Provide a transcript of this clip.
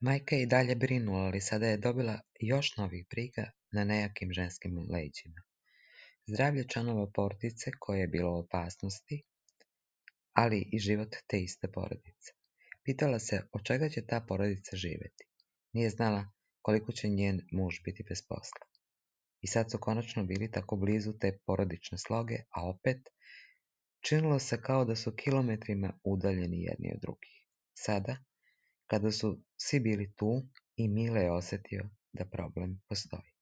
Majka je i dalje brinula, ali sada je dobila još novih briga na nejakim ženskim leđima. Zdravlje članova porodice koje je bilo u opasnosti, ali i život te iste porodice. Pitala se od čega će ta porodica živjeti. Nije znala koliko će njen muž biti bez posla. I sad su konačno bili tako blizu te porodične sloge, a opet činilo se kao da su kilometrima udaljeni jedni od drugih. Sada, kada su svi bili tu, i Mile je osjetio da problem postoji.